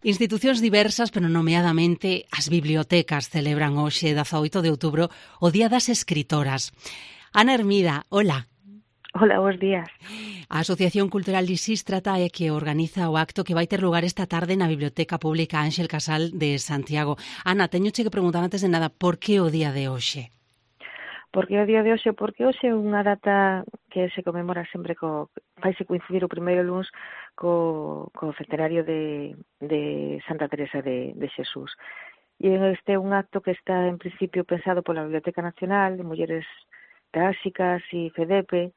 Institucións diversas, pero nomeadamente as bibliotecas celebran hoxe, 18 de outubro, o Día das Escritoras. Ana Hermida, hola. Hola, bons días. A Asociación Cultural Lisístrata é que organiza o acto que vai ter lugar esta tarde na Biblioteca Pública Ánxel Casal de Santiago. Ana, teñoche que preguntar antes de nada, por que o día de hoxe? Porque o día de hoxe, porque hoxe é unha data que se conmemora sempre vaise coincidir o primeiro luns co centenario de Santa Teresa de Xesús. E este é un acto que está en principio pensado pola Biblioteca Nacional de Mulleres Clásicas e FEDEPE,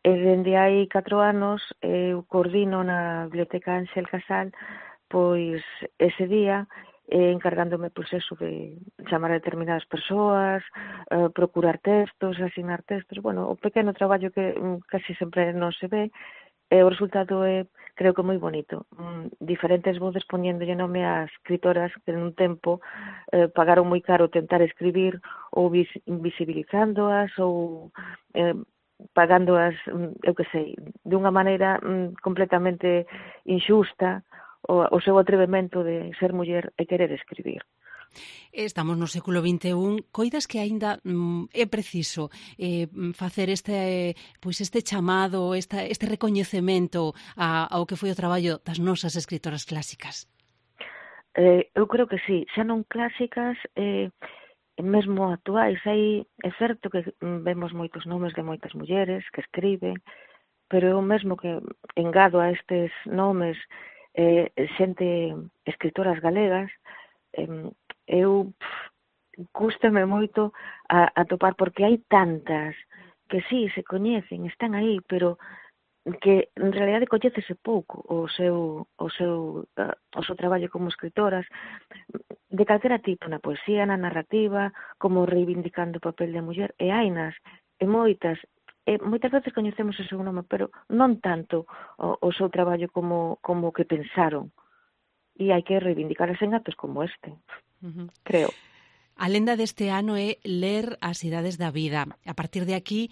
e dende hai 4 anos eu coordino na Biblioteca Ánxel Casal pois ese día encargándome pois eso de chamar a determinadas persoas, procurar textos, asignar textos, bueno, o pequeno traballo que casi sempre non se ve, e o resultado é, creo que moi bonito. Diferentes voces poñéndolle nome ás escritoras que nun tempo pagaron moi caro tentar escribir ou invisibilizándoas ou pagándoas, eu que sei, de unha maneira completamente injusta o seu atrevemento de ser muller e querer escribir. Estamos no século XXI, coidas que aínda é preciso facer este chamado, este recoñecemento ao que foi o traballo das nosas escritoras clásicas? Eu creo que sí, xa non clásicas, mesmo actuais. É certo que vemos moitos nomes de moitas mulleres que escriben, pero eu mesmo que engado a estes nomes xente, escritoras galegas, eu cústame moito a topar, porque hai tantas que sí, se coñecen, están aí, pero que en realidade coñécese pouco o seu traballo como escritoras, de calquera tipo, na poesía, na narrativa, como reivindicando o papel da muller, e hainas, e moitas veces coñecemos o seu nome, pero non tanto o seu traballo como que pensaron, e hai que reivindicalas en actos como este, creo. A lenda deste ano é ler as idades da vida. A partir de aquí,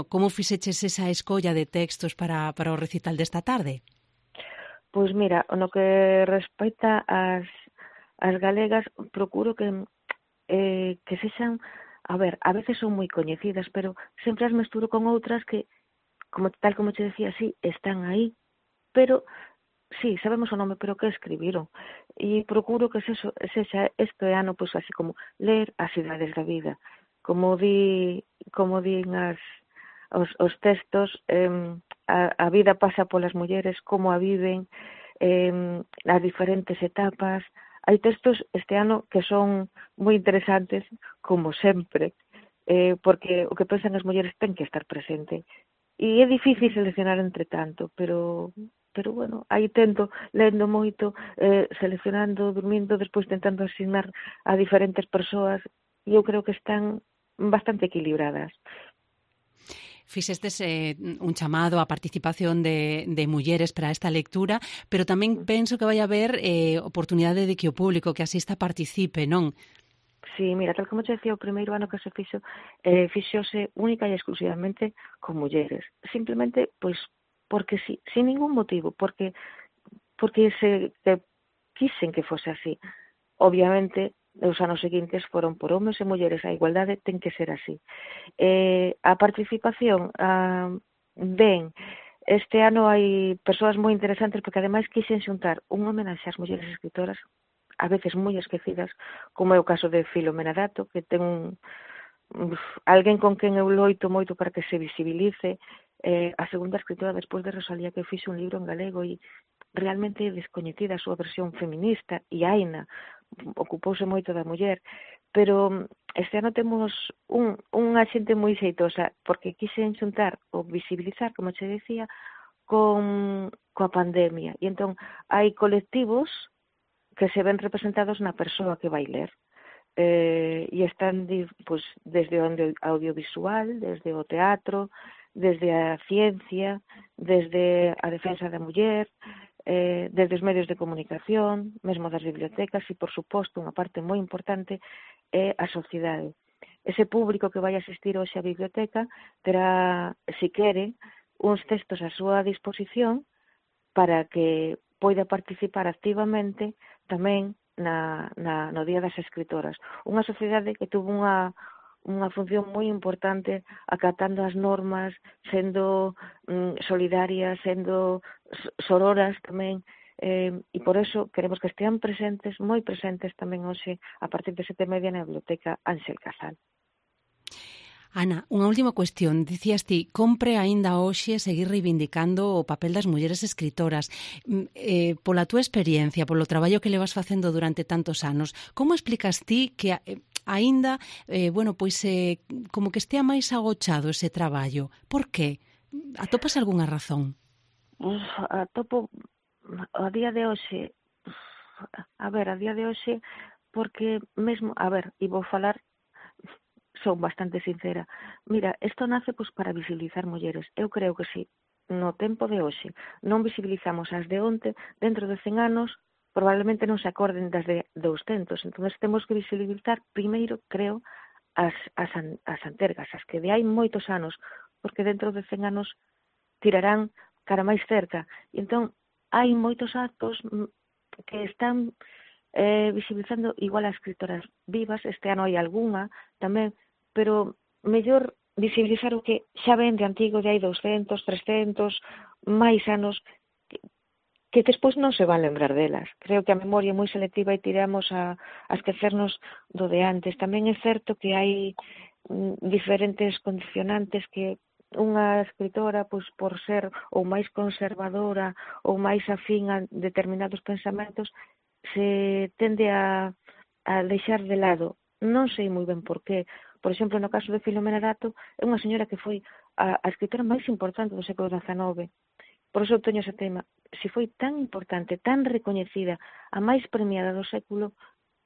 como fixeches esa escolla de textos para o recital desta tarde? Pois mira, no que respecta ás galegas, procuro que sexan, a veces son moi coñecidas, pero sempre as mesturo con outras que, tal como te decía, sí, están aí, pero sí, sabemos o nome, pero que escribiron. E procuro que sexa este ano, pois así como ler as idades da vida. Como din os textos, a vida pasa polas mulleres, como a viven, as diferentes etapas. Hai textos este ano que son moi interesantes, como sempre, porque o que pensan as mulleres ten que estar presente. E é difícil seleccionar entre tanto, pero bueno, aí tento, lendo moito, seleccionando, dormindo, despois tentando asignar a diferentes persoas, e eu creo que están bastante equilibradas. Fixestes un chamado á participación de mulleres para esta lectura, pero tamén penso que vai haber oportunidade de que o público que asista participe, non? Sí, mira, tal como te decía, o primeiro ano que se fixose única e exclusivamente con mulleres. Simplemente, pois, porque sí, sin ningún motivo, porque quisen que fose así. Obviamente, os anos seguintes foron por homes e mulleres, a igualdade ten que ser así. A participación, este ano hai persoas moi interesantes, porque ademais quixen xuntar un homenaxe ás mulleres escritoras, a veces moi esquecidas, como é o caso de Filomena Dato, que ten alguén con quen eu loito moito para que se visibilice, a segunda escritora despois de Rosalía, que fixe un libro en galego e realmente descoñecida a súa versión feminista, e Aina ocupouse moito da muller, pero este ano temos unha xente moi xeitosa, porque quixen xuntar ou visibilizar, como che decía, coa pandemia, e entón hai colectivos que se ven representados na persoa que vai ler, e están pois, desde o audiovisual, desde o teatro, desde a ciencia, desde a defensa da muller, desde os medios de comunicación, mesmo das bibliotecas, e, por suposto, unha parte moi importante é a sociedade. Ese público que vai asistir hoxe á biblioteca terá, se quere, uns textos á súa disposición para que poida participar activamente tamén no Día das Escritoras. Unha sociedade que tuvo unha función moi importante acatando as normas, sendo solidarias, sendo sororas tamén, e por eso queremos que estean presentes, moi presentes tamén hoxe, a partir de 7:30 na Biblioteca Ángel Casal. Ana, unha última cuestión. Dicías ti, compre aínda hoxe seguir reivindicando o papel das mulleres escritoras. Pola túa experiencia, polo traballo que levas facendo durante tantos anos, como explicas ti que aínda, como que estea máis agochado ese traballo? Por que? Atopas algunha razón? Atopo a día de hoxe, a día de hoxe, porque mesmo, e vou falar, son bastante sincera. Mira, isto nace para visibilizar mulleres. Eu creo que si no tempo de hoxe non visibilizamos as de onte, dentro de 100 anos probablemente non se acorden das de 200. Entón temos que visibilizar primeiro, creo, as antergas, as que de hai moitos anos, porque dentro de 100 anos tirarán cara máis cerca. E entón hai moitos actos que están visibilizando igual as escritoras vivas. Este ano hai algunha tamén, pero mellor visibilizar o que xa ven de antigo, de hai 200, 300, máis anos, que despois non se van lembrar delas. Creo que a memoria é moi selectiva e tiramos a esquecernos do de antes. Tamén é certo que hai diferentes condicionantes que unha escritora, por ser ou máis conservadora ou máis afín a determinados pensamentos, se tende a deixar de lado. Non sei moi ben por qué. Por exemplo, no caso de Filomena Dato, é unha señora que foi a escritora máis importante do século XIX. Por iso teño ese tema. Se foi tan importante, tan recoñecida, a máis premiada do século,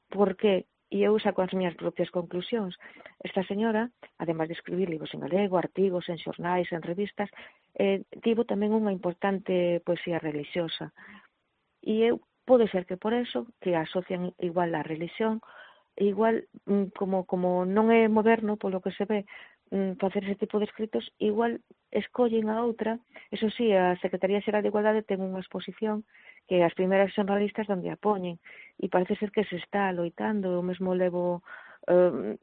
por qué? E eu saco as miñas propias conclusións. Esta señora, ademais de escribir libros en galego, artigos en xornais, en revistas, tivo tamén unha importante poesía religiosa. E pode ser que por eso, que asocian igual a religión, igual, como non é moderno, polo que se ve, facer ese tipo de escritos, igual escollen a outra. Eso sí, a Secretaría Xeral de Igualdade ten unha exposición que as primeiras xornalistas onde a poñen, e parece ser que se está loitando. Eu mesmo levo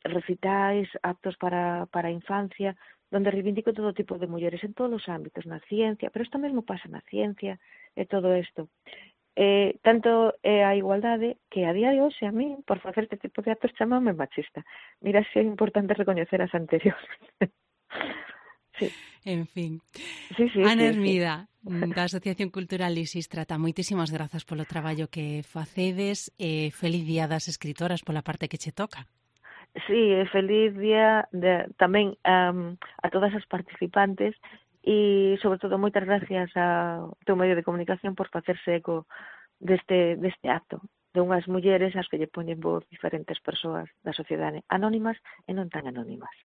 recitais, actos para a infancia, donde reivindico todo tipo de mulleres en todos os ámbitos, na ciencia, pero isto mesmo pasa na ciencia e todo isto. Tanto é a igualdade que a día de hoxe a mí, por facer este tipo de actos, chamame machista. Mira, se é importante recoñecer as anteriores. Sí. En fin. Sí. Ana Hermida, da Asociación Cultural Lisistrata, moitísimas grazas polo traballo que facedes e feliz día das escritoras pola parte que che toca. Sí, feliz día tamén a todas as participantes. E, sobre todo, moitas gracias ao teu medio de comunicación por facerse eco deste acto, de unhas mulleres ás que lle poñen voz diferentes persoas da sociedade, anónimas e non tan anónimas.